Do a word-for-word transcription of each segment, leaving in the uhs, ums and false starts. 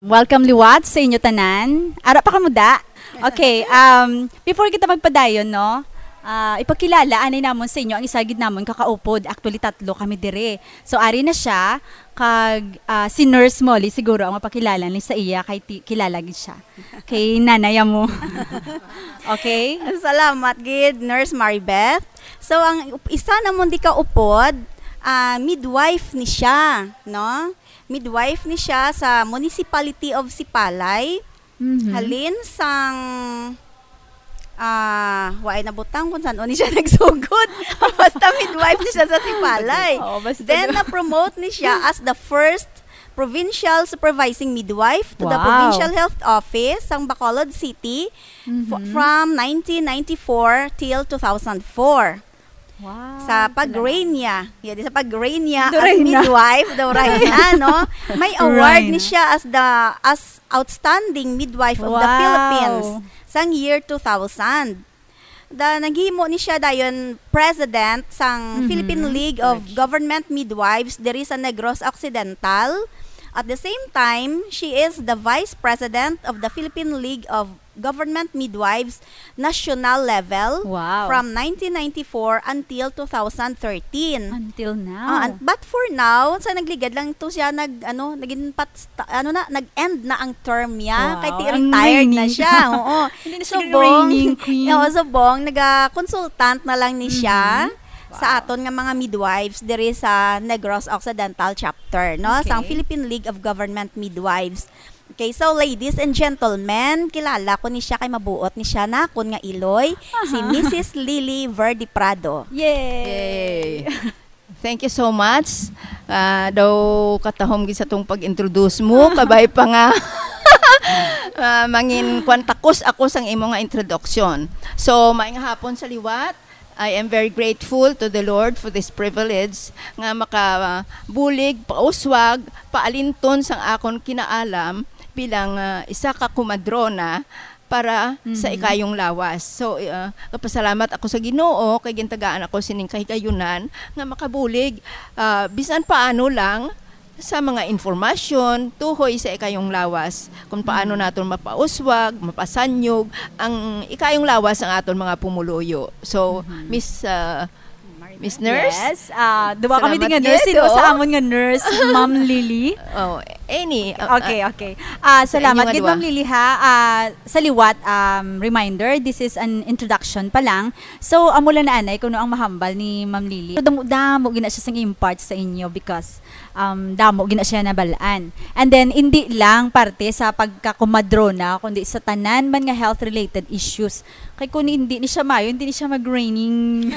Welcome liwat sa inyo tanan. Ara pa kamo da? Okay, um, before kita magpadayon, no, ah, ipakilala anay namon sa inyo ang isa gid namon kakaupod. Actually, tatlo kami dire. So, ari na siya, kag, ah, si Nurse Molly siguro ang mapakilala ni sa iya, kay ti-, kilala gid siya. Kay nanay mo. Okay? Salamat gid, Nurse Maribeth. So, ang up-, isa namon di kaupod, ah, midwife ni siya, no? Midwife ni siya sa Municipality of Sipalay. Mhm. Halin sang, ah, waay nabutang kung san-o ni siya nagsugod. Basta midwife ni siya sa Sipalay. Oo, basta Then, na- na-promote ni siya as the first provincial supervising midwife to the Wow. Provincial Health Office sang Bacolod City fo-, Mhm. from nineteen ninety-four till two thousand four. Wow, Sa pag-reign niya, yeah, di sa pag-reign niya Do as Reyna. Midwife, do Reyna, no? May award Reyna. Ni siya as the, as outstanding midwife of the Wow. Philippines sang year two thousand. Da, naghimo ni siya dayon president sang Mhm. Philippine League of Government Midwives diri sa Negros Occidental. At the same time, she is the vice president of the Philippine League of Government Midwives national level Wow. from nineteen ninety-four until two thousand thirteen. Until now. Ah, and, but for now, sa nagligad lang to siya nag, ano, naging pat-, ano na, nag-end na ang term niya. Wow, Kay ti-, ang retired na reigning. Siya. Oo. Hindi na siya Subong, reigning queen. Oo, subong, naga-consultant na lang ni siya Mhm. sa Wow. aton nga mga midwives diri sa Negros Occidental Chapter, no? Sang Okay. Philippine League of Government Midwives. Okay, so ladies and gentlemen, kilala ko ni siya kay mabuot ni siya na akon nga iloy, si Aha. Missus Lily Verde Prado. Yay! Yay! Thank you so much. Ah, daw katahom gid sa tong pag-introduce mo, kabay pa nga, ah, mangin kwan takos ako sang imo nga introduction. So, maayong hapon sa liwat. I am very grateful to the Lord for this privilege nga makabulig, pauswag, paalinton sang akon kinaalam bilang, ah, isa ka komadrona para sa Mhm. Ikayong Lawas. So, ah, nagapasalamat ako sa Ginoo kay gintagaan ako sining kahigayunan nga makabulig, ah, bisan paano lang sa mga informasyon tuhoy sa Ikayong Lawas, kung paano Mhm. naton mapauswag, mapasanyog ang Ikayong Lawas ang aton mga pumuluyo. So, Mhm. Miss, ah, Miss Nurse? Yes. Ah, duwa kami Salamat din nga nurse. gid, Sino oo. Sa amon nga nurse, Ma'am Lily? Oh, any, ah, Okay, ah, okay. Ah, sa salamat inyo nga gid, duwa. Ma'am Lily, ha. Ah, sa liwat, um, reminder, this is an introduction pa lang. So, amo lang na anay kuno ang mahambal ni Ma'am Lily. Damo-damo gina siya sing impart sa inyo because, um, damo gina siya nabalaan. And then, hindi lang parte sa pagkakumadrona, kundi sa tanan man nga health-related issues. Kay kung hindi ni siya mayo, hindi ni siya mag-reigning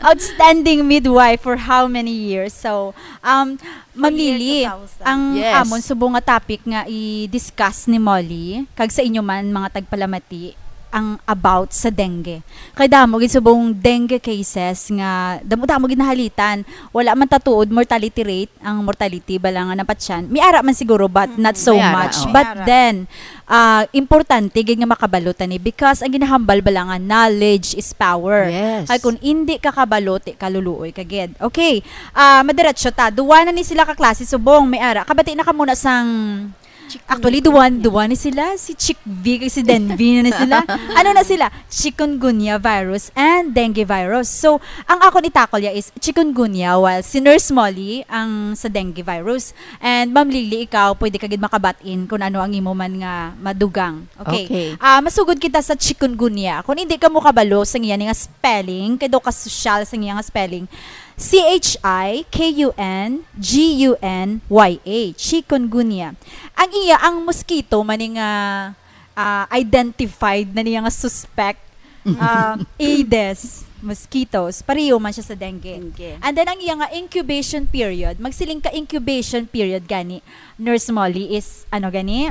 outstanding midwife for how many years. So, um, Ma'am Lily, ang Yes. amon subong nga topic nga i-discuss ni Molly, kag sa inyo man, mga tagpalamati, ang about sa dengue. Kay damo gid subong dengue cases nga damo-damo gid nahalitan. Wala man tatuod mortality rate, ang mortality bala nga napatyan. May ara man siguro, but Mm, not so may ara, much. oh. May But ara. then, ah, importante gid nga makabalo ta ni because ang ginahambal bala nga knowledge is power. Yes. Ay, kung hindi ka kabalo, ti ka luluoy ka gid. Okay. Ah, madiretso ta. Duwa na ni sila ka klase subong. May ara. Kabati na ka muna sang Chikungunya. Actually, duwa, duwa ni sila. Si Chick V kag si Den V na ni sila. Ano na sila? Chikungunya virus and dengue virus. So, ang akon itakol ya is chikungunya, while si Nurse Molly ang sa dengue virus. And Ma'am Lily, ikaw, pwede ka gid makabatin kung ano ang imo man nga madugang. Okay. Okay. Ah, masugod kita sa chikungunya. Kung hindi ka mo kabalo sa iya nga spelling, kay daw kasosyal sa iya nga spelling, C H I K U N G U N Y A, chikungunya. Ang iya, ang mosquito man ni nga, ah, identified na niya nga suspect, ah, Aedes mosquitoes, pareho man siya sa dengue. Dengue. And then, ang iya nga incubation period, magsiling ka incubation period gani, Nurse Molly, is ano gani?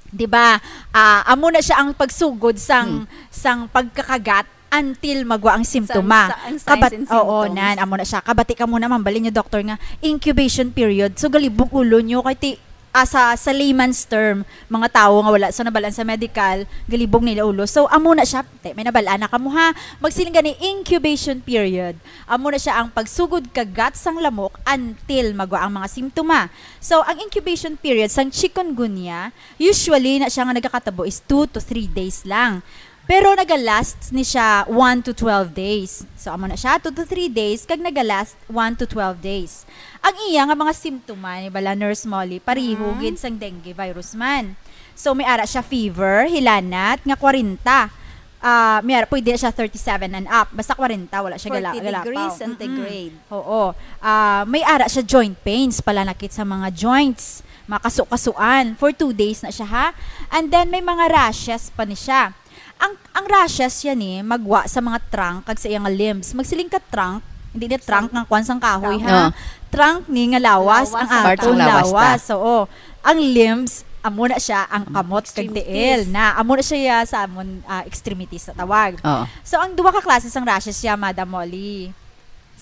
Di ba? Ah, amo na siya ang pagsugod sang, Hmm. sang pagkakagat until magwa ang simptoma. Sa, sa, ang signs Kabat-, and oo, symptoms. nan, amo na siya. Kabati ka muna, ma'am, bali niyo, doktor, nga incubation period. So, galibog ulo niyo, kay ti-, Ah, sa, sa layman's term, mga tawo nga wala sa nabalaan sa medical, galibog nila ulo. So, amo na siya, te, may nabalaan na kamo, ha? Magsiling gani, incubation period. Amo na siya ang pagsugod kagat sang lamok until magwa ang mga simptoma. So, ang incubation period sang chikungunya, usually na siya nga nagakatabo is two to three days lang. Pero nagalast ni siya one to twelve days. So, amo na siya, two to three days, kag nagalast one to twelve days. Ang iya nga mga simptoma, ni bala, Nurse Molly, pariho Mm. gid sang dengue virus man. So, may ara siya fever, hilanat, nga kwarenta. Ah, may ara, pwede na siya thirty-seven and up. Basta kwarenta, wala siya gala-, forty galapaw. degrees centigrade. Mm-mm. Oo. Ah, may ara siya joint pains, palanakit sa mga joints, mga kasu-kasuan. For two days na siya, ha? And then, may mga rashes pa ni siya. Ang, ang rashes yan eh, magwa sa mga trunk kag sa iyang limbs. Magsiling ka trunk, hindi na trunk Sa nga kwan sang kahoy, trunk. ha? Oo. Trunk ni nga lawas, Lawas ang ang Part sang atong trunk. lawas, Lawas ta. Oo. Ang limbs, amo na siya, ang Mm, kamot kag extremities. tiil. Na, amo na siya ya sa amon, ah, extremities na tawag. Oo. So, ang duha ka klase sang rashes siya, Madam Molly.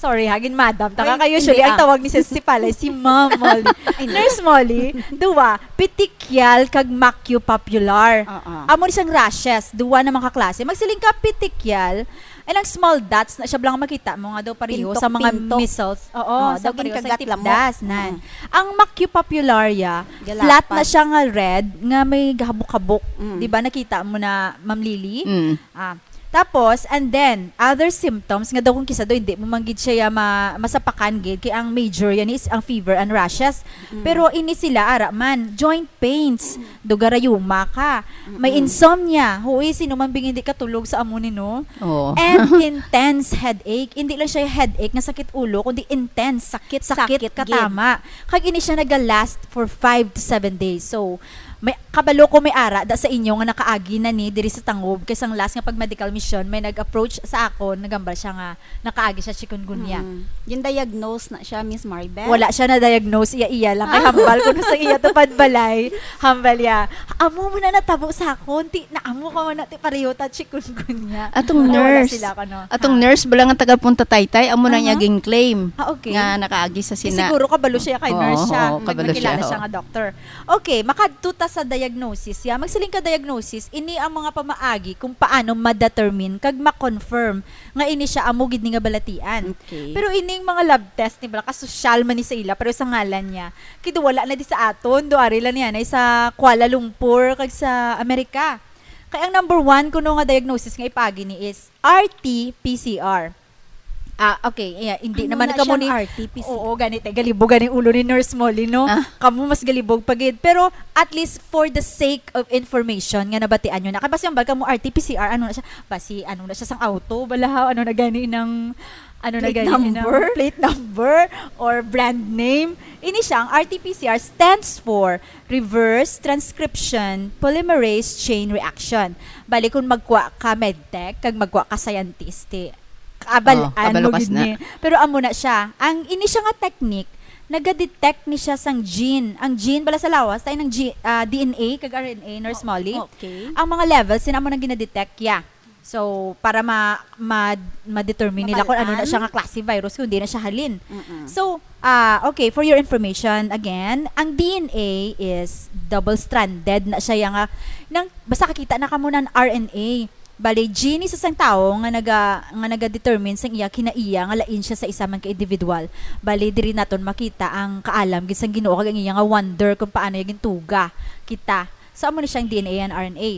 Sorry ha, gin madam. Taka Ay, kayo, hindi, usually, ang ah. tawag ni Sis si Palay, si Ma'am Molly. Ay, hindi. Nurse Molly, duwa, petechial kag macupapular. Oo. Amo ni siyang rashes, duwa na mga kaklase. Magsiling ka petechial, and ang small dots na siya lang makita mo nga daw pareho sa mga Pintok-pintok. measles. Oo, Oo, sa daw pareho sa ginkagat lamok. tipdas, nan. Mm. Ang macupapular, ya, flat na Galapan. siya nga red, nga may gahabok-habok. Mm. Di ba nakita mo na, Ma'am Lily? Mm. Ah, tapos, and then, other symptoms nga daw kung kisa daw hindi mo man gid siya ma-, masapakan gid, kay ang major yan is ang fever and rashes. Mm. Pero ini sila, ara man, joint pains, dugarayuma ka, may Mm-mm. insomnia, hui, sino man bing hindi katulog sa amo ni, no? Oo. And intense headache. Hindi lang siya headache nga sakit ulo, kundi intense, Sakit, sakit sakit gid. katama. Kag ini siya naga-last for five to seven days. So, may, kabalo ko may ara da sa inyo nga nakaagi na ni diri sa Tangub, kay sang last nga pag medical mission, may nag-approach sa akon, nagambal siya nga nakaagi siya chikungunya. Mm. Gin-diagnose na siya, Miss Maribel? Wala siya na-diagnose, iya-iya lang. Kay Ah. hambal ko na sa iya tupad balay. Hambal ya. Amo mo na natabo sa akon, ti, na amo ka man na, ti, pareho ta chikungunya. Atong Wala, wala nurse. sila, ano. Atong Ha? nurse, bala nga taga Punta Taytay, amo na niya Aha. gin-claim Ah, okay. nga nakaagi sa Kay sina. siguro kabalo siya kay Oo, nurse siya. oo, kabalo Nagkakilala siya, siya oo. nga doctor. Okay, makadto ta sa diagnosis. Ya, magsiling ka diagnosis, ini ang mga pamaagi kung paano ma-determine kag ma-confirm nga ini siya amo gid ni nga balatian. Okay. Pero ining mga lab test ni bala, kasosyal man ni sa ila, pero sa ngalan niya, kay do wala na di sa aton, do ari lang niya na sa Kuala Lumpur kag sa Amerika. Kay ang number one kuno nga diagnosis nga ipaagi ni is R T P C R. Ah, okay. Yeah, hindi Ano naman na kamo siyang ni R T P C? Oo, ganit eh. Galibog ganing ulo ni Nurse Molly, no? Ah. Kamo mas galibog pa gid. Pero at least for the sake of information nga nabatian nyo na. Kay basi ang bag kamo R T P C R, ano na siya? Basi, ano na siya sang auto? Balahaw, ano na gani ng, ano na Plate gani ng number? plate number or brand name? Ini siya, ang R T P C R stands for Reverse Transcription Polymerase Chain Reaction. Bali, kung magkuha ka medtech, kag magkuha ka scientist, ti, kabal-an Oh, kabalo mo kas gid na. ni. Pero amo na siya. Ang ini siya nga technique, naga-detect ni siya sang gene. Ang gene bala sa lawas, tayo ng G-, ah, D N A, kag R N A, Nurse Molly. Okay. Ang mga levels, sina mo nang gina-detect, ya. So, para ma-, ma-, ma-determine nila kung ano na siya Mabal-an. nga klase virus, kung di na siya halin. Mm-mm. So, ah, okay, for your information, again, ang D N A is double-stranded na siya, ya nga, nang, basta kakita na kamo ng R N A. Bali, gene sa isang tawo nga naga-, nga naga-determine sang iya kinaiya nga lain siya sa isa man ka individual. Bali, diri naton makita ang kaalam gid sang Ginoo kag ang iya nga wonder kung paano iya gintuga kita. So, amo ni siyang D N A and R N A.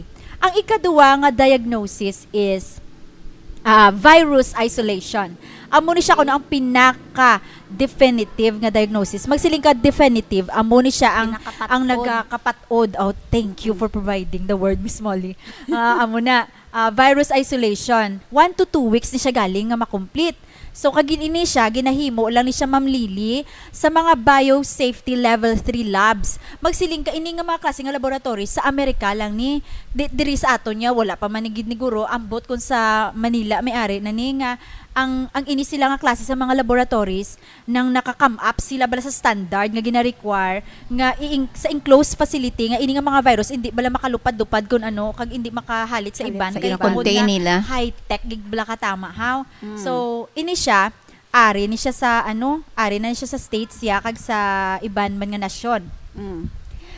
Ang ikaduwa nga diagnosis is, ah, virus isolation. Amo ni siya kuno ang pinaka-definitive nga diagnosis. Magsiling ka definitive, amo ni siya ang, Pinakapat-od. ang nagakapat-od. Oh, thank you Mm. for providing the word, Miss Molly. Ah, amo na, ah, virus isolation. One to two weeks ni siya galing nga ma-complete. So, kag ini siya, ginahimo lang ni siya, Ma'am Lily, sa mga biosafety level three labs. Magsiling ka, ini nga mga klase nga laboratory sa Amerika lang ni, di-, diri sa aton niya, wala pa man ni gid ni guro, ambot kung sa Manila may ari na ni nga, ang, ang ini sila nga klase sa mga laboratories, nang naka-come up sila bala sa standard nga gina-require nga i-, sa enclosed facility nga ini nga mga virus hindi bala makalupad-lupad kun ano, kag hindi makahalit sa Halit iban, sa kay iban. Tungod Contain nga nila. high-tech gid bala katama, haw? Mm. So, ini siya, ari ni siya sa, ano, ari na siya sa States, ya, kag sa iban man nga nasyon. Mm.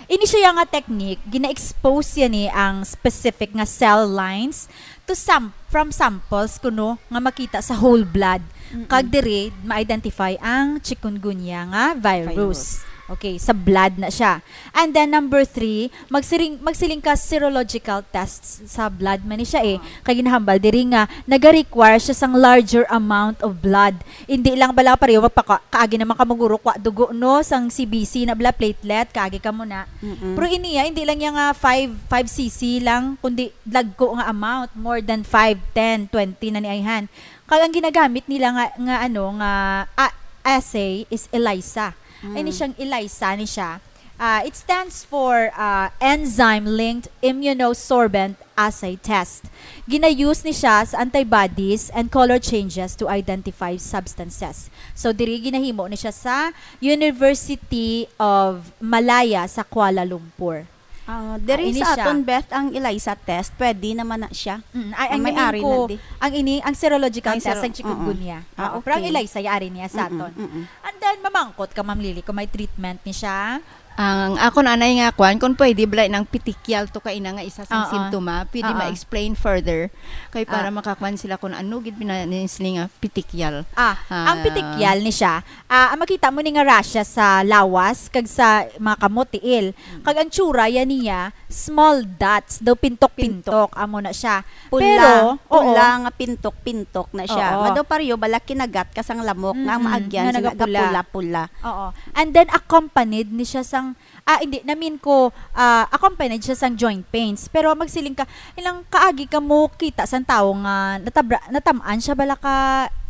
Ini siya nga technique, gina-expose siya ni ang specific nga cell lines to sam-, from samples kuno nga makita sa whole blood. Mm-mm. Kag diri ma-identify ang chikungunya nga virus. Virus. Okay, sa blood na siya. And then number three, magsiring, magsiling ka serological tests sa blood man ni siya eh. Ah. Kay ginahambal diri nga naga-require siya sang larger amount of blood. Hindi lang bala pareho magpaka-, kaagi naman ka maguro kwa dugo, no, sang C B C na bala platelet, kaagi ka mo na. Mm-mm. Pero iniya, hindi lang niya nga five, five C C lang, kundi dagko nga amount, more than five, ten, twenty na ni ayhan. Kag ang ginagamit nila nga, nga ano, nga, ah, assay is ELISA. Mm. Ini siyang ELISA ni siya. Ah, it stands for, ah, enzyme-linked immunosorbent assay test. Gina-use ni siya sa antibodies and color changes to identify substances. So, diri ginahimo ni siya sa University of Malaya sa Kuala Lumpur. Ah, diri Ah, ini sa siya. aton, Beth, ang ELISA test, pwede naman na siya. Mm, ay, Ang ang may-ari meaning ko, na di. ang ini, ang serological Ang test, sero-, ang chikungunya. oo. Ah, Oo, pero ang okay. ELISA, yari niya sa Mm-mm, aton. mm-mm. And then, mamangkot ka, Ma'am Lily, kung may treatment ni siya. Ang ako na anay nga kwan, kung pwede bala nang petechial to kaina nga isa sang Oo. simptoma, pwede Oo. ma-explain further. Kay para Ah. makakwan sila kung ano gid pinanisli nga petechial. Ah, ang Ah. petechial ni siya, ah, ang makita mo ni nga rashes sa lawas kag sa mga kamot, tiil. Mm. Kag ang tsura yan niya, small dots, daw pintok-pintok, Pintok. amo na siya. Pula, Pero, pula oo. nga pintok-pintok na siya. Oo. Nga daw pareho bala kinagat ka sang lamok nga ang Mm-mm. maagyan Nga sina nagapula. gapula-pula. Oo. And then accompanied ni siya sang, ah, hindi, namin ko, ah, accompanied siya sang joint pains. Pero magsiling ka, ilang kaagi ka mo kita sang tawo nga natabra, natamaan siya bala ka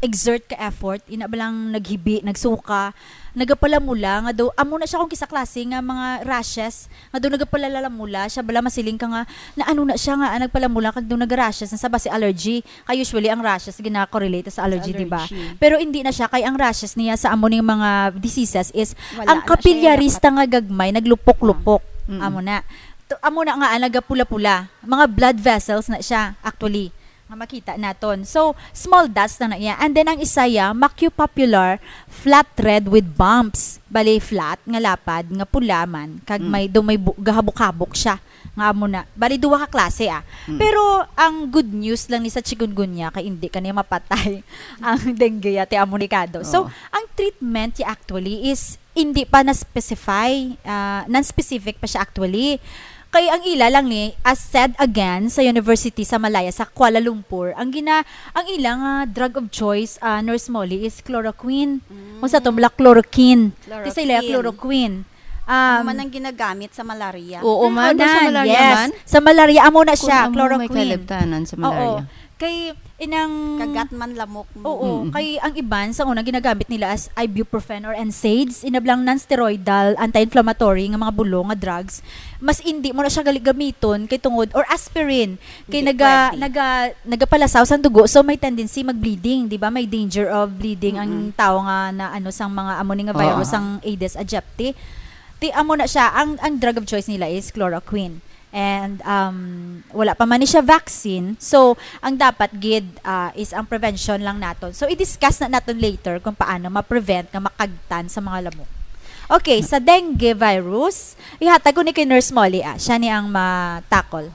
exert ka effort, ina balang naghibi, nagsuka, nagapalamula nga daw, amo na siya kung kisa klase nga mga rashes, nga daw nagapalalamula siya, bala masiling ka nga, na ano na siya nga, ah, nagpalamula, kag daw naga-rashes na sa basi allergy. Kay usually ang rashes gina-correlate sa allergy, Sa di ba? allergy. Pero hindi na siya, kay ang rashes niya sa amo ning mga diseases is Wala ang na siya, capillaries nakat- ta nga gagmay, naglupok-lupok. Mm. Amo na. To, amo na nga, ah, nagapula-pula. Mga blood vessels na siya, actually, nga makita naton. So, small dots na na iya. And then, ang isa ya, macupapular flat red with bumps. Bali, flat nga lapad, nga pula man. Kag Mm. may, daw may bu-, gahabok-habok siya. Nga amo na. Bali, duwa ka klase, ah. Mm. Pero, ang good news lang ni sa chikungunya, kay hindi ka niya mapatay ang dengue, ate, amo ni kado. So, Oo. ang treatment, ya, actually, is hindi pa na-specify, ah, non-specific pa siya actually. Kay ang ila lang ni, as said again, sa university sa Malaya, sa Kuala Lumpur, ang gina-, ang ila nga drug of choice, ah, Nurse Molly, is chloroquine. Mm. Kung sa aton, bala chloroquine. Di sa ila, Chloroquine. chloroquine. Ano Um, man ang ginagamit sa malaria? Oo, Mm, man, o sa nan, malaria yes. man. Sa malaria, amo na Kung siya, amo may chloroquine. kaliptanan sa Oo. malaria. Kay inang Kagat man lamok mo. Oo, Mm-mm. kay ang iban sa una ginagamit nila as ibuprofen or N SAIDs, inablang non-steroidal anti-inflammatory nga mga bulong nga drugs, mas indi mo na siya gali gamiton kay tungod, or aspirin, kay Hindi naga-, pwede. naga-, nagapalasaw sang dugo, so may tendency mag-bleeding, di ba? May danger of bleeding ang Mm-mm. tao nga na ano sang mga amo ni nga virus, Oo. ang Aedes aegypti. Ti amo na siya, ang, ang drug of choice nila is chloroquine. And, um, wala pa man ni siya vaccine. So, ang dapat gid, ah, is ang prevention lang naton. So, i-discuss na naton later kung paano ma-prevent nga makagtan sa mga lamok. Okay, sa dengue virus, ihatag ko ni kay Nurse Molly, ah. Siya ni ang ma-tackle.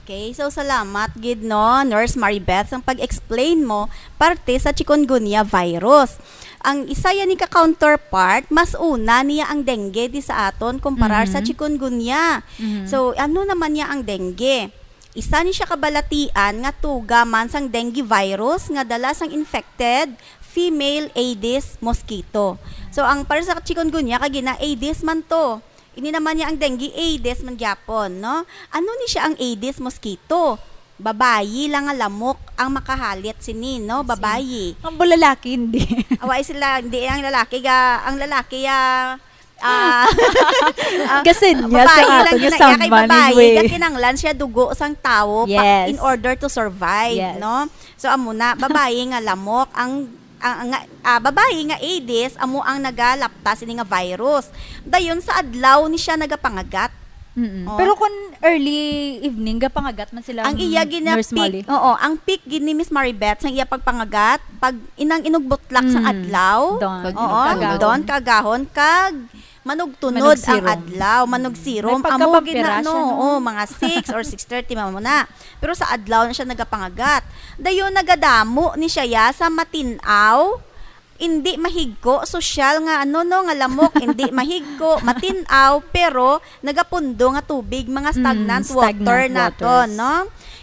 Okay, so salamat gid, no, Nurse Maribeth, ang pag-explain mo parte sa chikungunya virus. Ang isa yan ni ka counterpart, mas una niya ang dengue di sa aton kumparar sa Mhm. chikungunya. Mhm. So, ano naman niya ang dengue? Isa ni siya kabalatian nga tuga man sang dengue virus nga dala sang infected female Aedes mosquito. So, ang para sa chikungunya, kay gina Aedes man to. Ini naman niya ang dengue, Aedes man gyapon, no? Ano ni siya ang Aedes mosquito? Babayi lang nga lamok ang makahalit sini, no? Babayi. Ang lalaki, hindi. Away sila, hindi ang lalaki ga, ang lalaki, ah, ah, ah, Gasin niya babayi sa lang ato nga gina-, kay saman, babayi, anyway. Ga kinanglan siya dugo sang tawo pa, Yes. in order to survive, Yes. no? So, amo na, babayi nga lamok ang, ang, ang, ah, babayi nga Aedes, amo ang nagalapta sini nga virus. Dayon sa adlaw ni siya nagapangagat. Mm-mm. Oh. Pero kung early evening, gapangagat man sila, Ang iya mm, gina-peak, Nurse Molly. Oo, ang peak gid ni Miss Maribeth sang iya pagpangagat, pag inang inugbutlak sa Mm. adlaw. Dawn. Pag Oo, inugbutlak. Dawn, kaagahon, kag Manugtunod ang adlaw, manugsirom. Amo gid na, no? Oo, mga six or six thirty, mamo na. Pero sa adlaw na siya nagapangagat. Dayon, nagadamo ni siya ya sa matin-aw, indi mahigko, sosyal nga, ano, no, nga lamok, indi mahigko, matin-aw, pero nagapundo nga tubig, mga Mm, stagnant stagnant water naton, waters. No?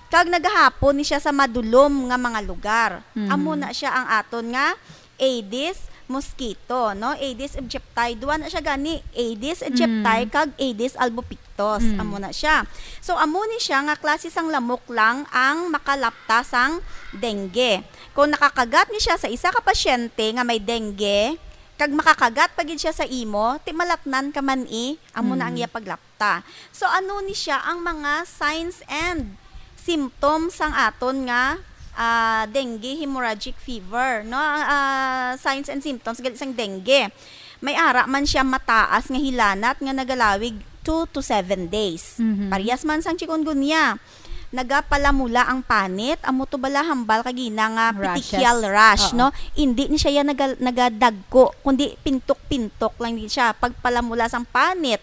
Kag nagahapon ni siya sa madulom nga mga lugar. Mm. Amo na siya ang aton nga Aedes mosquito, no? Aedes aegypti. Duha na siya gani, Aedes aegypti Mm. kag Aedes albopictus. Mm. Amo na siya. So, amo ni siya nga klase sang lamok lang ang makalapta sang dengue. Kung nakakagat ni siya sa isa ka pasyente nga may dengue, kag makakagat pa gid siya sa imo, ti malatnan ka man i, amo na ang Mm. iya paglapta. So, ano ni siya ang mga signs and symptoms sang aton nga, ah, dengue hemorrhagic fever, no? Ah, signs and symptoms gali sang dengue. May ara man siya mataas nga hilanat nga nagalawig two to seven days. Mhm. Parehas man sang chikungunya. Nagapalamula ang panit, amo to bala hambal kag ina nga Rashes. Petechial rash, Oo. no? Indi ni siya yan naga-, nagadagko, kundi pintok-pintok lang din siya. Pagpalamula sang panit,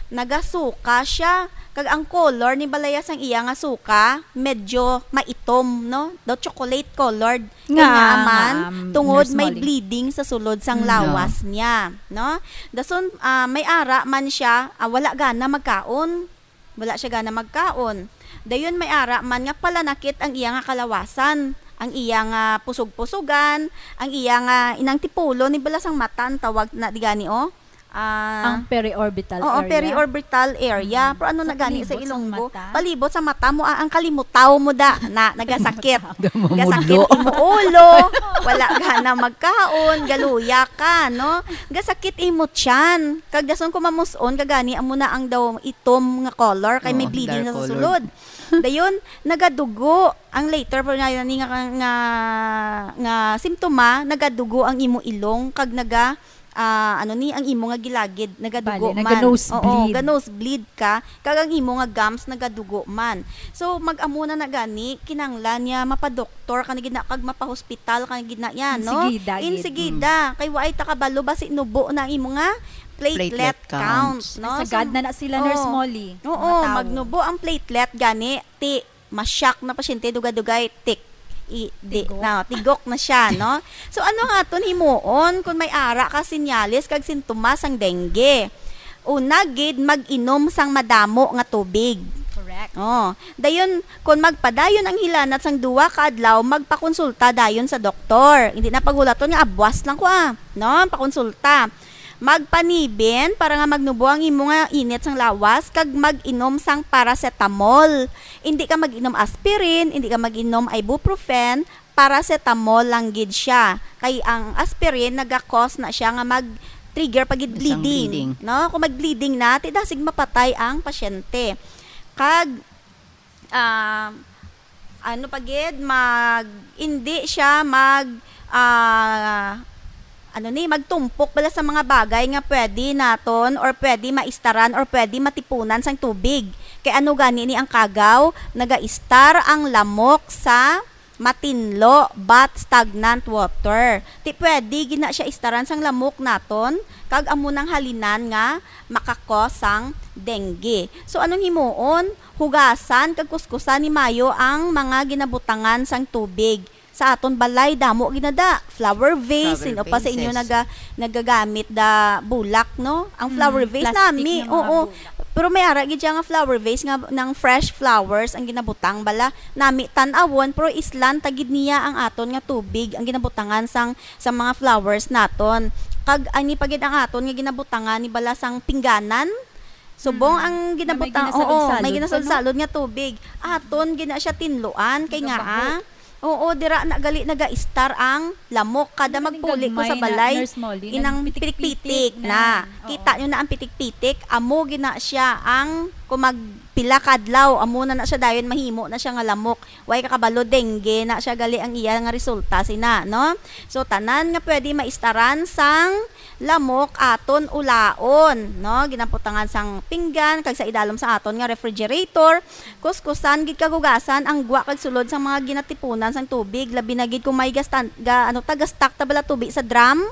nagasuka siya. Kag ang color ni balaya sang iya nga suka, medyo maitom, no? Daw chocolate colored. Nga, Kanya man, nga, tungod Nurse may Molly. bleeding sa sulod sang Mm. lawas niya, no? Dason, ah, may ara man siya, ah, wala gana magkaon. Wala siya gana magkaon. Dayon may ara man nga palanakit ang iya nga kalawasan, ang iya nga pusog-pusugan, ang iya nga inang tipulo ni bala sang mata ang tawag na di gani, oh. Ah, Ang periorbital oo, area. periorbital area. Mm. Pero ano Sa na gani sa palibot sang Ilonggo? mata? Palibot sa mata mo, ah, ang kalimutaw mo da na nagasakit. Gamamudlo. Gasakit imo ulo, wala ka na magkaon, galuya ka, no? Gasakit imo tiyan. Kag dason ko mamus-on, kagani amo na ang daw itom nga color kay may Oo, bleeding dark na sa colored. sulod. Dayon, nagadugo. Ang later po na ni nga, nga, nga simptoma, nagadugo ang imo ilong kag naga, ah, ano ni, ang imo nga gilagid nagadugo Bali, man. naga-nosebleed. Oo, ga-nosebleed ka, kag ang imo nga gums nagadugo man. So, mag-amo na na gani, kinanglan niya mapadoktor ka na gid na, kag mapahospital ka na gid na yan, no? Insigida gid. Insigida. Mm. Kay waay ta kabalo ba si nubo na ang imo nga platelet Platelet count, count. no? Sagad So, na na sila, Nurse oo. Molly. Oo, Matawo. magnubo ang platelet gani, ti, ma-shock na pasyente, dugay-dugay, tik. I, di, Tigok. na, tigok na siya, no? So, ano nga aton himuon kung may ara ka senyales kag sintomas sang dengue? Una gid, mag-inom sang madamo nga tubig. Correct. Oh, dayon, kung magpadayon ang hilanat sang duwa ka adlaw, magpakonsulta dayon sa doktor. Hindi na paghulaton nga abwas lang ko, ah, no? Pakonsulta. Magpanibin para nga magnubo ang imo nga init sang lawas, kag mag-inom sang paracetamol. Indi ka mag-inom aspirin, indi ka mag-inom ibuprofen, paracetamol lang gid siya. Kay ang aspirin naga-cause na siya nga mag-trigger pa gid Isang bleeding, bleeding. no? Kung mag-bleeding na, ti dasig mapatay ang pasyente. Kag, ah, ano pa gid, mag, indi siya mag, ah, ano ni, magtumpok bala sa mga bagay nga pwede naton or pwede maistaran or pwede matipunan sang tubig. Kay ano gani ni ang kagaw, nagaistar ang lamok sa matinlo but stagnant water. Ti pwede gid na siya istaran sang lamok naton, kag amo nang halinan nga makakos sang dengue. So, anong himuon? Hugasan kag kuskusan ni mayo ang mga ginabutangan sang tubig. Sa aton balay, damo ginada. Flower vase, Flower sino pa sa inyo vases. naga-, nagagamit da bulak, no? Ang flower Mm, vase plastic nami, nga mga oo. bulak. Pero may ara gid siya nga flower vase nga nang fresh flowers ang ginabutang bala. Nami tan-awon, pero islan ta gid niya ang aton nga tubig, ang ginabutangan sang, sa mga flowers naton. Kag ani pa gid ang aton nga ginabutangan ni bala sang pingganan. Subong Mm. ang Nga may ginabutang, oo, may ginasalod-salod pa, no? ginasalod-salod nga tubig. Aton gina siya tinluan kay nga, Nagabaho. ah, oo, dira na gali nagaistar ang lamok. Kada Ano man yung magpuli ko sa gagmay na, balay, Nurse Molly? inang Nagpitik-pitik pitik-pitik na. na. Oo. Kita nyo na ang pitik-pitik, amo gina siya ang kung magpila ka adlaw, amo na na siya dayon, mahimo na siya nga lamok. Way kakabalo, dengue na siya gali ang iya nga resulta sina, no? So, tanan nga pwede maistaran sang lamok aton ulaon, no? Ginabutangan sang pinggan kag sa idalom sa aton nga refrigerator. Kuskusan gid kag hugasan ang gwa kag sulod sang mga ginatipunan sang tubig, labi na gid kung may gastan-, ga-, ano ta, gastak ta bala tubig sa drum.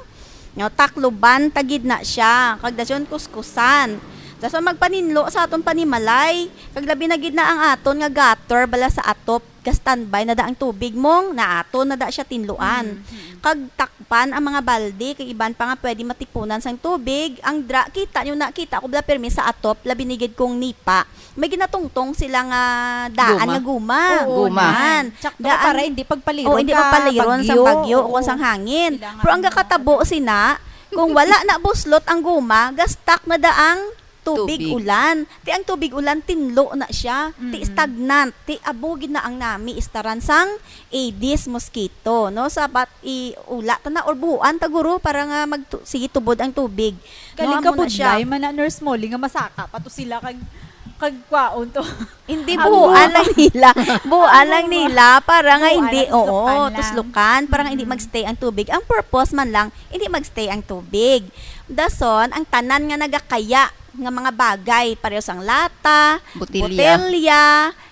No, takluban ta gid na siya, kag dason kuskusan. Dason magpaninlo sa aton panimalay, kag labi na gid na ang aton nga gutter bala sa atop, ga-standby na da ang tubig mong, na aton na da siya tinluan. Mm, mm. Kag takpan ang mga balde, kag iban pa nga pwede matipunan sang tubig. Ang dra, kita nyo na, kita ko bala pirmi sa atop, labi ni gid kung nipa. May ginatungtong sila nga daan Guma. nga guma. Oo, Guma. Yan. Tsaka Daan para hindi pagpaliron O, hindi sa pagpaliron sa bagyo. bagyo o Oo. kung sang hangin. Kailangan Pero ang mo gakatabo sina, kung wala na buslot ang guma, gastak na daang tubig Tubig. ulan. Ti ang tubig ulan, tinlo na siya. Ti Mm. stagnant. Ti abo gid na ang nami istaran sang Aedes mosquito, no? Sapat iula ta na or buhuan ta, guro, para nga magtu-, sige tubod ang tubig. No, Galing amo ka na siya. budlay man na, Nurse Molly, nga masaka pa to sila kag, kag kwaon to. Hindi, Ang buhuan bu- lang nila. Buhuan Ang lang bu- nila para nga buhuan hindi, lang, oo, tuslokan lang. tuslokan, para nga hindi Mm. magstay ang tubig. Ang purpose man lang, hindi magstay ang tubig. Dason, ang tanan nga nagakaya nga mga bagay, pareho sang lata, Botelya. botelya,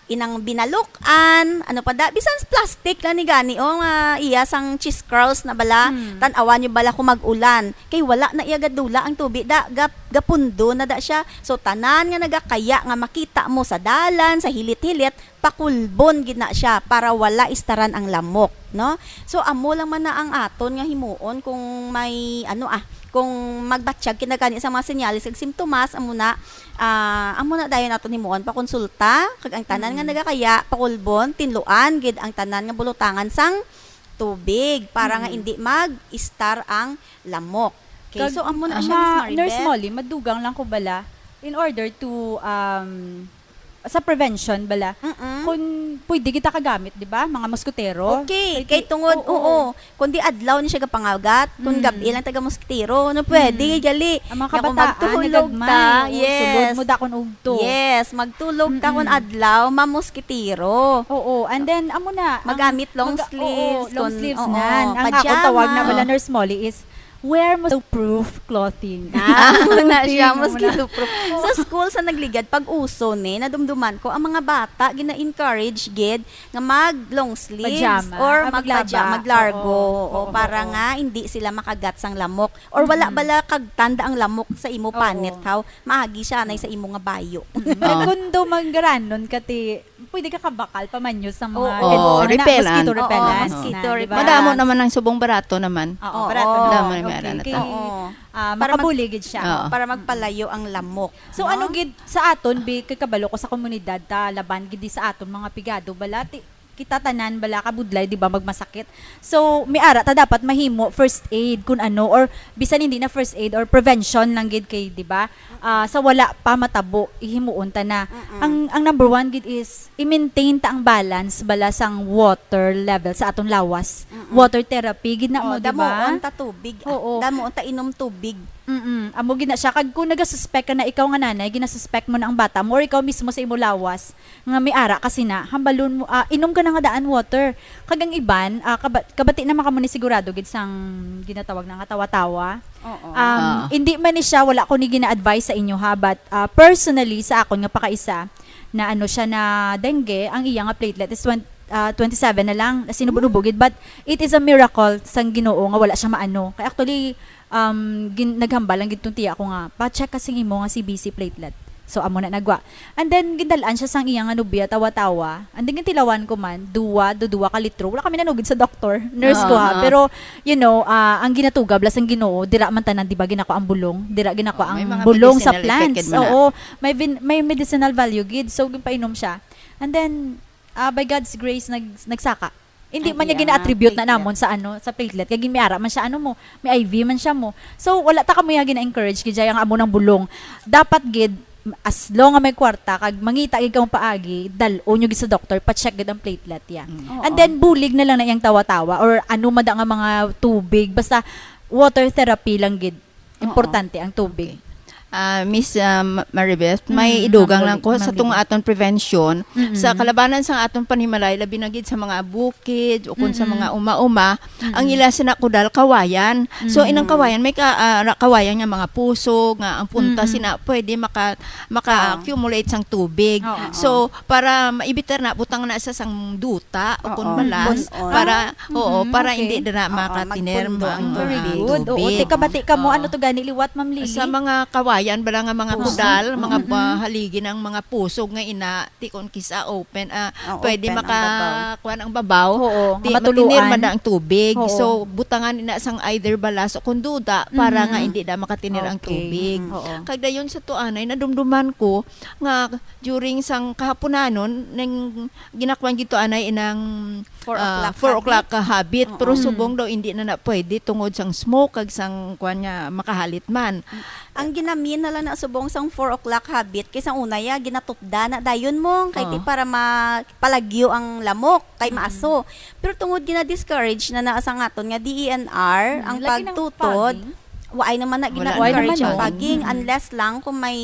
inang binaluk-an, ano pa da, bisan plastic lang ni gani, oh, nga iya sang cheese curls na bala, Hmm. tan-awan nyo bala kung mag-ulan. Kay wala na iya gadula ang tubi, da, gap-, gapundo na da siya. So, tanan nga nagakaya nga makita mo sa dalan, sa hilit-hilit, pakulbon gid na siya para wala istaran ang lamok, no? So, amo lang man na ang aton nga himuon kung may, ano, ah, kung magbatyag kinagani sa mga senyales kag simptomas, amo na, ah, amo na dayon aton himuon, pakonsulta, kag ang tanan nga Mm. nagakaya, pakulbon, tinluan gid ang tanan nga bulotangan sang tubig para nga Mm. hindi mag-istar ang lamok. Okay, Kag, so amo na siya, Miss ah, Maribeth. Nurse Molly, madugang lang ko bala, in order to, um, sa prevention bala, Mm-mm. kung pwede kita kagamit, di ba? Mga moskotero. Okay, Pwede, kay tungod, oo. oo. Kung di adlaw ni siya gapangagat, kung Mm. gabi lang taga moskotero, no, pwede, Mm. gali. Ang mga Nga kung kabataan, magtulog nagagmay. ta, Oo, yes. sulod mo dakon ugto. Yes, magtulog ta kung Mm-mm. adlaw, mamoskitero. Oo, and then, amo na, ang Magamit long mag-, oo, sleeves, long kung, sleeves oo, na. Ang akong tawag na pajamas. bala, Nurse Molly, is wear mosquito-proof clothing. Ah, amo na siya, Clothing, amo na. mosquito-proof. Sa school, sa nagligad, pag uso ni, nadumduman ko, ang mga bata, gina-encourage gid nga mag long sleeves Pajama. or Ah, magpaja-, maglaba. maglargo. Oo, O, oo, para oo. nga hindi sila makagat sang lamok. Or wala Mm-mm. bala kagtanda ang lamok sa imo Oo. panit, haw? Maagi siya anay sa imo nga bayo. Mm. Kag Oo. kung daw manggaranon ka, ti, pwede ka kabakal pa man yun sa mga Oo. ano, Oh, na repellent. mosquito Oo, repellent mosquito na, di ba? repellent. Madamo naman ang subong barato naman. Oo, Oo. barato na. Madamo na may Okay, ara na kay, ta. Oo. ah, Para mag- makabuli gid siya. Oo. Para magpalayo ang lamok, So, no? ano gid sa aton, bi, kay kabalo ko sa komunidad ta, laban gid di sa aton mga pigado, bala, ti-, kita tanan, bala, kabudlay, di ba, magmasakit. So, may ara ta dapat mahimo first aid, kun ano, or bisan hindi na first aid, or prevention lang gid kay, di ba, ah, sa wala pa matabo, ihimuon ta na. Mm-mm. Ang, ang number one gid is, i-maintain ta ang balance, bala, sang water level sa aton lawas. Mm-mm. Water therapy, gid na Oh, mo, di ba? damuon ta tubig, ah. Oo. Damuon ta inom tubig. Mm-mm. Amo gid na siya. Kag kung nagasuspek ka na, ikaw nga nanay, ginasuspek mo na ang bata mo, or ikaw mismo sa imo lawas, nga may ara ka sina, hambalon mo, ah, inom ka na nga daan water. Kag ang iban, ah, kaba-, kabati naman kamo ni sigurado gid sang ginatawag na nga tawa-tawa. Oo. Um, Ah. hindi man ni siya, wala ko ni gina-advise sa inyo, ha, but, ah, personally, sa akon nga pakaisa, na ano siya na dengue, ang iya nga platelet is twen-, ah, twenty-seven na lang, sinubo-nubo gid, but it is a miracle sang Ginoo nga wala siya maano. Kay actually, um, gin-, naghambal lang gid tong tiya ko nga, "Pa-check ka sing imo nga C B C platelet." So, amo na nagwa. And then, gindal-an siya sang iya nga nobya, tawa-tawa. And then, gintilawan ko man, duwa, duduwa ka litro. Wala kami nanugid sa doktor, nurse ko, ha. Ah, ah. Pero, you know, ah, ang ginatugab lang sang Ginoo, dira man tanan, di ba, ginako ang bulong? Dira ginako Oh, may ang mga bulong sa medicinal effect plants. gid man na. Oo, may vin-, may medicinal value gid. So, ginpainom siya. And then, ah, by God's grace, nag-, nagsaka. Hindi Ang man niya iya nga gina-attribute na platelet. namon sa ano, sa platelet. Kay ginmiara man siya, ano mo, may I V man siya mo. So, wala ta kamo ya gina-encourage gid siya ang amo nang bulong. Dapat gid, as long nga may kwarta, kag mangita gid kamo paagi, dal-o nyo gid sa doktor, pa-check gid ang platelet ya. Mm. And Oo. then, bulig na lang na iyang tawa-tawa, or ano man da nga mga tubig, basta water therapy lang gid. Oo. Importante ang tubig. Okay. Ah, Miss, um, Maribeth, may Mm, idugang Ma'am lang ko Loli-, sa Ma'am tung Lily. aton prevention, Mm. sa kalabanan sa aton panimalay, labi na gid sa mga bukid o kung sa Mm-mm. mga uma-uma, ang Mm. ila sina kudal kawayan. So, Mm. inang kawayan, may ka-, ah, ra-, kawayan nga mga pusog, nga ang punta Mm-mm. sina pwede maka-, maka-accumulate sang tubig. Oo, So, oo. para maibitar na, butang na sa sang duta o kung Oo. balas, Pun-on. para, Ah, oo, mhm, para okay. hindi na Oo, makatiner magpundo ang ang Very tubig. good. Oo, tubig. Tika, bati ka mo, Oo. ano to gani liwat, Ma'am Lily? Sa mga kawayan, bala nga mga Pusog. kudal, mga Mm-mm. ba-, haligi ng mga pusog nga ina, ti kon kisa open, ah, Ah, pwede open ang maka-, babaw. kuwan ang babaw, Oo, ti-, matuluan. matinir man na ang tubig. Oo. So, butangan ina sang either balas o kung duda para nga Mhm. hindi na makatinir ang Okay. tubig. Mm. Oo. Kag dayon sa tuanay, nadumduman ko nga during sang kahapunanon, ning ginakuan gid to anay inang, Four ah, o'clock four habit. o'clock ka habit, pero Mm. subong daw hindi na na pwede tungod sang smoke kag sang kuan nga makahalit man. Ang ginamin na lang na subong sang four o'clock habit, kay sang una ya, ginatupda na dayon mo, kay ti Ah. para mapalagyo ang lamok, kay Mm. maaso. Pero tungod gina-discourage na na sang aton nga D E N R, Mm, ang lagi nang pagtutod, fogging. waay naman na Wala gina-encourage naman, ang no? fogging, Mm. unless lang kung may,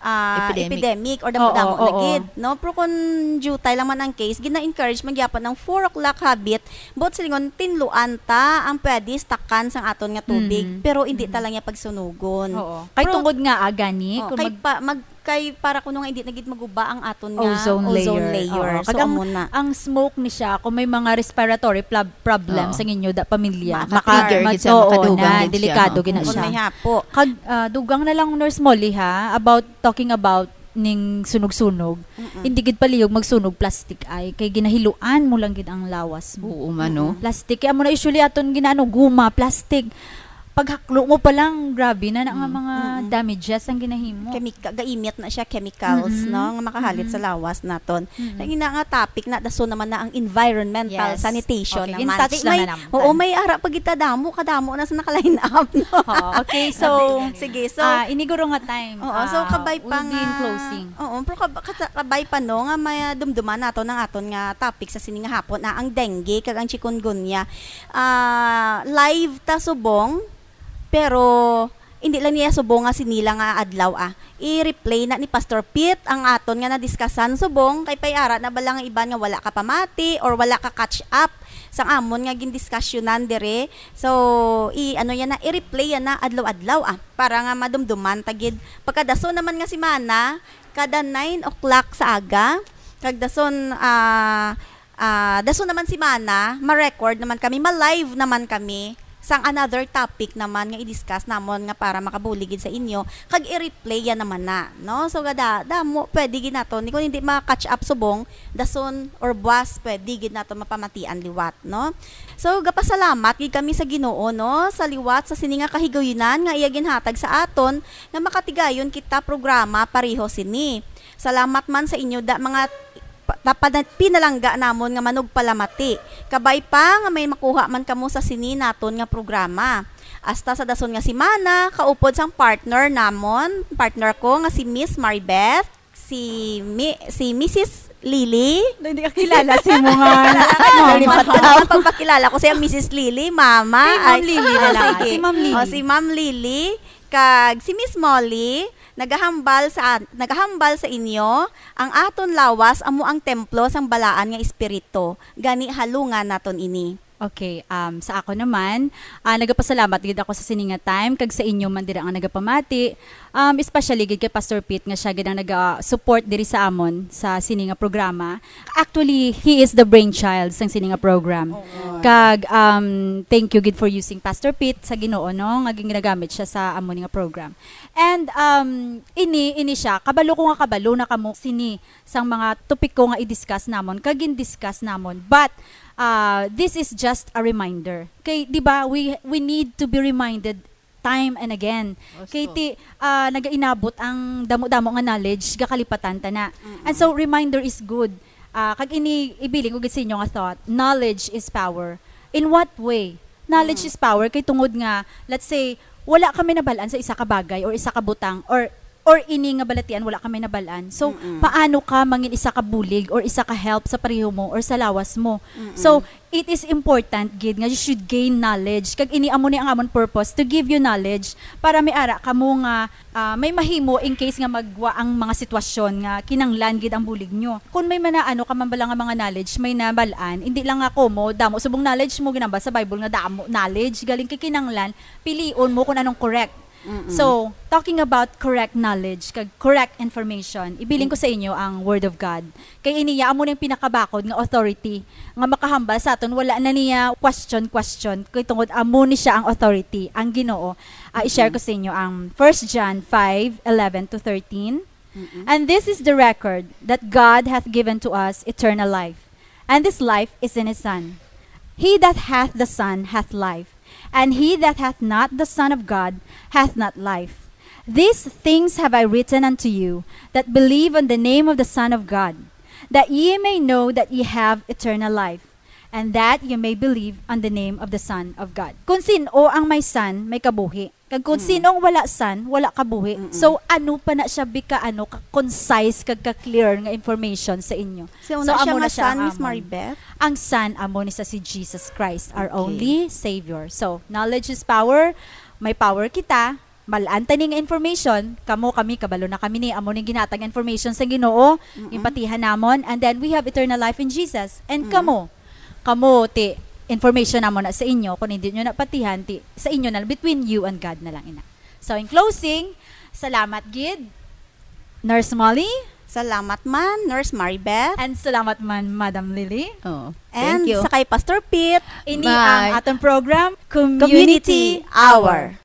ah, Epidemic. epidemic or Oo, damo-damo na oo. gid, no? Pero kung jutay lang man ang case, gina-encourage man gyapon ang four o'clock habit, buot silingon, tinluan ta ang pwede stakan sang aton nga tubig, Mhm. pero hindi ta Mhm. lang niya pagsunugon. Oo. Kay Pero, tungod nga, ah, gani, oh, kung kay mag- pa-, mag-, kay para kuno nga hindi na gid maguba ang aton nga Ozone ozone layer. layer. Oo. So, Kag ang, amo na. ang smoke ni siya, kung may mga respiratory plab-, problem Oo. sa inyo da pamilya, Maka-trigger maka-, gid siya, oo, makadugang na, gid siya, delikado no? gid na Kung siya. may hapo. Kag, ah, dugang na lang, Nurse Molly, ha, about, talking about ning sunog-sunog, Mm-mm. hindi gid palihog magsunog plastic ay, kay ginahiluan mo lang gid ang lawas mo. Oo, man, no? Mm-mm. Plastic, kay amo na usually aton ginaano, guma, plastic. Paghaklo mo pa lang, grabe na na nga Mm. mga Mm-mm. damages ang ginahimo. Chemica-, gaimit na siya, chemicals, Mm-mm. no, nga makahalit Mm-mm. sa lawas naton. Mm-mm. Ang ina nga topic na, dason naman na ang environmental Yes. sanitation Okay, naman. in-touch Di lang may, na naman. oo, may ara pa kita damo, kadamo na sa naka-line up, no? Oo, okay, so, Sige, so, ah, ini guro nga time, Oo, so ah, kabay pa we'll be in nga, closing. Oo, pero kab-, kasa-, kabay pa, no, nga may, ah, dumduman nato ng aton nga topic sa sini nga hapon, na ang dengue kag ang chikungunya. Ah, live ta subong, pero hindi lang niya subong nga sinila nga adlaw, ah. I-replay na ni Pastor Pete ang aton nga nadiskasan subong, kay pay ara na bala nga iban nga wala ka pamati or wala ka catch up sang amon nga gindiskasyonan dire. So, i-, ano yan na, i-replay yan na adlaw-adlaw, ah, para nga madumduman ta gid. Pagkadason naman nga semana, kada nine o'clock sa aga, kag dason, ah, ah, dason naman semana, ma-record naman kami, ma-live naman kami sang another topic naman nga i-discuss namon nga para makabulig gid sa inyo, kag i-replay yan naman na, no? So, gada, damo, pwede gid naton. Kung hindi ma-catch up subong, dason or buwas, pwede gid naton mapamatian liwat, no? So, gapasalamat gid kami sa Ginoo, no, sa liwat sa sini nga kahigayunan nga iya ginhatag sa aton, nga makatigayon kita programa pareho sini. Salamat man sa inyo da, mga pa-, tapa-, pinalangga namon nga manugpalamati. Kabay pa nga may makuha man kamo sa sini naton nga programa. Hasta sa dason nga semana, kaupod sang partner namon, partner ko nga si Miss Maribeth, si Mi-, si Missus Lily. Hindi ka kilala si mo nga. Nalipat na ang pagpakilala ko siya, Missus Lily, Mama. Si Ma'am Ay, Lily na oh, lang. sige. Si Ma'am Lily. Oh, si Ma'am Lily, kag si Miss Molly, nagahambal sa, nagahambal sa inyo, ang aton lawas amo ang templo sang balaan nga espiritu. Gani, halungan naton ini. Okay, um, sa ako naman, ah, nagapasalamat gid ako sa sini nga time, kag sa inyo man dira nga nagapamati, um, especially gid kay Pastor Pete nga siya gid ang naga-support diri sa amon sa sini nga programa. Actually, he is the brainchild sang sini nga program. Oo. Kag, um, thank you gid for using Pastor Pete sa Ginoo, no, nga ginagamit siya sa amon nga program. And, um, ini, ini siya, kabalo ko nga kabalo na kamo sini sang mga topiko nga i-discuss namon, kag gin-discuss namon. But, uh, this is just a reminder. Kay, di ba, we, we need to be reminded time and again. Gusto. Kay ti, ah, nagainabot ang damo-damo nga knowledge, gakalipatan ta na. Mm-mm. And so, reminder is good. Ah, kag ini, ibilin ko gid sa inyo nga thought, knowledge is power. In what way? Knowledge Mm. is power kay tungod nga, let's say, wala kami nabal-an sa isa ka bagay or isa ka butang or or ini nga balatian wala ka may nabalaan. So, Mm-mm. paano ka mangin isa ka bulig or isa ka help sa pareho mo or sa lawas mo? Mm-mm. So, it is important gid nga you should gain knowledge. Kag ini amo ni ang amon purpose, to give you knowledge para may ara kamo nga, ah, may mahimo in case nga magwa ang mga sitwasyon nga kinanglan gid ang bulig nyo. Kung may mga ano ka man bala nga mga knowledge, may nabalaan, hindi lang nga komo, damo subong knowledge mo ginambal sa Bible nga damo knowledge, galing kay kinanglan, pilion mo kung anong correct. Mm-mm. So, talking about correct knowledge kag correct information, ibilin ko Mm. sa inyo ang Word of God. Kay ini ya amo ning pinakabakod nga authority nga makahambal sa aton, wala na niya question, question, kay tungod amo ni siya ang authority, ang Ginoo. Ah, i-share Mm-mm. ko sa inyo ang First John five eleven to thirteen. Mm-mm. And this is the record, that God hath given to us eternal life, and this life is in his Son. He that hath the Son hath life, and he that hath not the Son of God hath not life. These things have I written unto you that believe on the name of the Son of God, that ye may know that ye have eternal life, and that ye may believe on the name of the Son of God. Kung sin-o ang may Son, may kabuhi. Kag kung Mm. sinong wala Son, wala kabuhi. Mm-mm. So, ano pa na siya bika, ano, ka concise kag ka clear nga information sa inyo? So, So, na siya amo nga na siya Son, ang Miss amon. Maribeth? Ang Son, amo ni sa si Jesus Christ, our Okay. only Savior. So, knowledge is power. May power kita. Malaan tani nga information. Kamo, kami, kabalo na kami ni. Amo ning ginhatag information sa Ginoo. Mm-mm. Yung patihan namon. And then, we have eternal life in Jesus. And Mm-mm. kamo, kamo, ti, information namo na sa inyo. Kung hindi nyo napatihan, ti, sa inyo na, between you and God na lang ina. So, in closing, salamat gid, Nurse Molly. Salamat man, Nurse Maribeth. And salamat man, Madam Lily. Oh, And thank you. sa kay Pastor Pete. Ini Bye. ang atong program, Community Community Hour. Hour.